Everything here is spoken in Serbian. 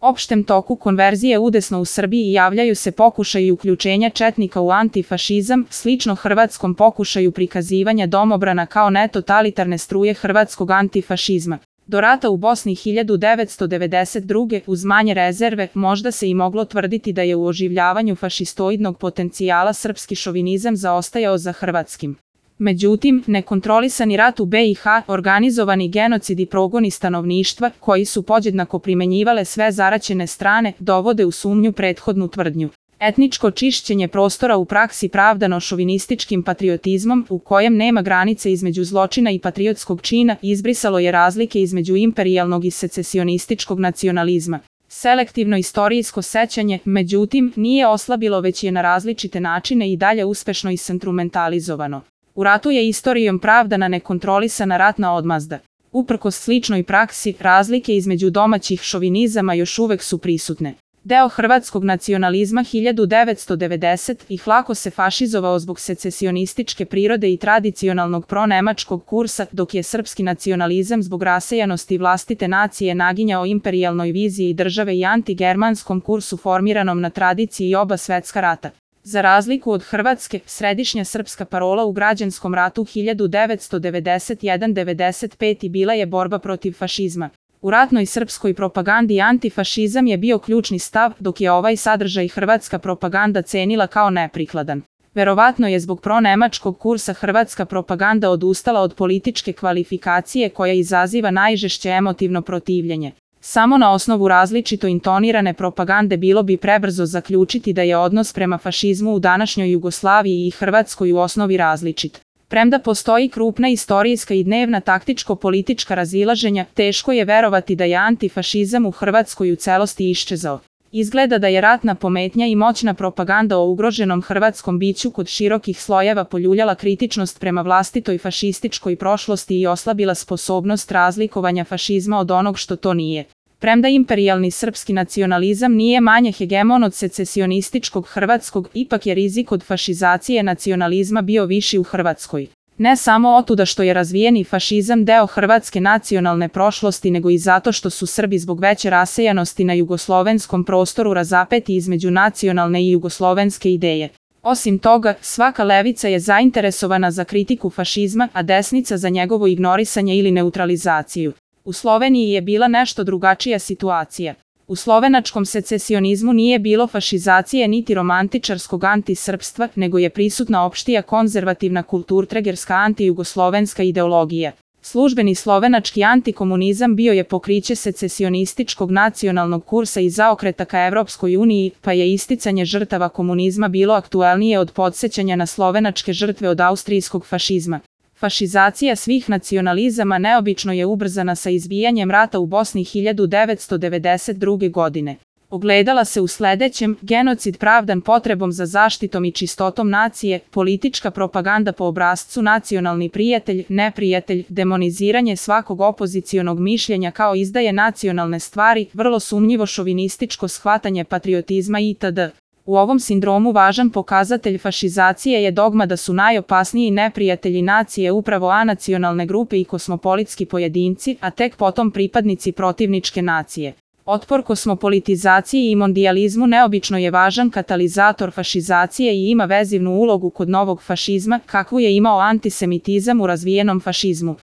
Opštem toku konverzije udesno u Srbiji javljaju se pokušaji uključenja četnika u antifašizam, slično hrvatskom pokušaju prikazivanja domobrana kao netotalitarne struje hrvatskog antifašizma. Do rata u Bosni 1992. uz manje rezerve možda se i moglo tvrditi da je u oživljavanju fašistoidnog potencijala srpski šovinizam zaostajao za hrvatskim. Međutim, nekontrolisani rat u BiH, organizovani genocid i progoni stanovništva, koji su podjednako primenjivale sve zaraćene strane, dovode u sumnju prethodnu tvrdnju. Etničko čišćenje prostora u praksi pravdano šovinističkim patriotizmom, u kojem nema granice između zločina i patriotskog čina, izbrisalo je razlike između imperijalnog i secesionističkog nacionalizma. Selektivno istorijsko sećanje, međutim, nije oslabilo već je na različite načine i dalje uspešno isinstrumentalizovano. U ratu je istorijom pravdana nekontrolisana ratna odmazda. Uprkos sličnoj praksi, razlike između domaćih šovinizama još uvek su prisutne. Deo hrvatskog nacionalizma 1990-ih lako se fašizovao zbog secesionističke prirode i tradicionalnog pronemačkog kursa, dok je srpski nacionalizam zbog rasejanosti vlastite nacije naginjao imperijalnoj viziji države i antigermanskom kursu formiranom na tradiciji oba svetska rata. Za razliku od Hrvatske, središnja srpska parola u građanskom ratu 1991-95 bila je borba protiv fašizma. U ratnoj srpskoj propagandi antifašizam je bio ključni stav, dok je ovaj sadržaj hrvatska propaganda cenila kao neprikladan. Verovatno je zbog pronemačkog kursa hrvatska propaganda odustala od političke kvalifikacije koja izaziva najžešće emotivno protivljenje. Samo na osnovu različito intonirane propagande bilo bi prebrzo zaključiti da je odnos prema fašizmu u današnjoj Jugoslaviji i Hrvatskoj u osnovi različit. Premda postoji krupna istorijska i dnevna taktičko-politička razilaženja, teško je verovati da je antifašizam u Hrvatskoj u celosti iščezao. Izgleda da je ratna pometnja i moćna propaganda o ugroženom hrvatskom biću kod širokih slojeva poljuljala kritičnost prema vlastitoj fašističkoj prošlosti i oslabila sposobnost razlikovanja fašizma od onog što to nije. Premda imperijalni srpski nacionalizam nije manje hegemon od secesionističkog hrvatskog, ipak je rizik od fašizacije nacionalizma bio viši u Hrvatskoj. Ne samo otuda što je razvijeni fašizam deo hrvatske nacionalne prošlosti, nego i zato što su Srbi zbog veće rasejanosti na jugoslovenskom prostoru razapeti između nacionalne i jugoslovenske ideje. Osim toga, svaka levica je zainteresovana za kritiku fašizma, a desnica za njegovo ignorisanje ili neutralizaciju. U Sloveniji je bila nešto drugačija situacija. U slovenačkom secesionizmu nije bilo fašizacije niti romantičarskog antisrpstva, nego je prisutna opštija konzervativna kulturtregerska antijugoslovenska ideologija. Službeni slovenački antikomunizam bio je pokriće secesionističkog nacionalnog kursa i zaokreta ka Evropskoj uniji, pa je isticanje žrtava komunizma bilo aktuelnije od podsećanja na slovenačke žrtve od austrijskog fašizma. Fašizacija svih nacionalizama neobično je ubrzana sa izbijanjem rata u Bosni 1992. godine. Ogledala se u sledećem: genocid pravdan potrebom za zaštitom i čistotom nacije, politička propaganda po obrascu nacionalni prijatelj, neprijatelj, demoniziranje svakog opozicionog mišljenja kao izdaje nacionalne stvari, vrlo sumnjivo šovinističko shvatanje patriotizma itd. U ovom sindromu važan pokazatelj fašizacije je dogma da su najopasniji neprijatelji nacije upravo anacionalne grupe i kosmopolitski pojedinci, a tek potom pripadnici protivničke nacije. Otpor kosmopolitizaciji i mondijalizmu neobično je važan katalizator fašizacije i ima vezivnu ulogu kod novog fašizma, kakvu je imao antisemitizam u razvijenom fašizmu.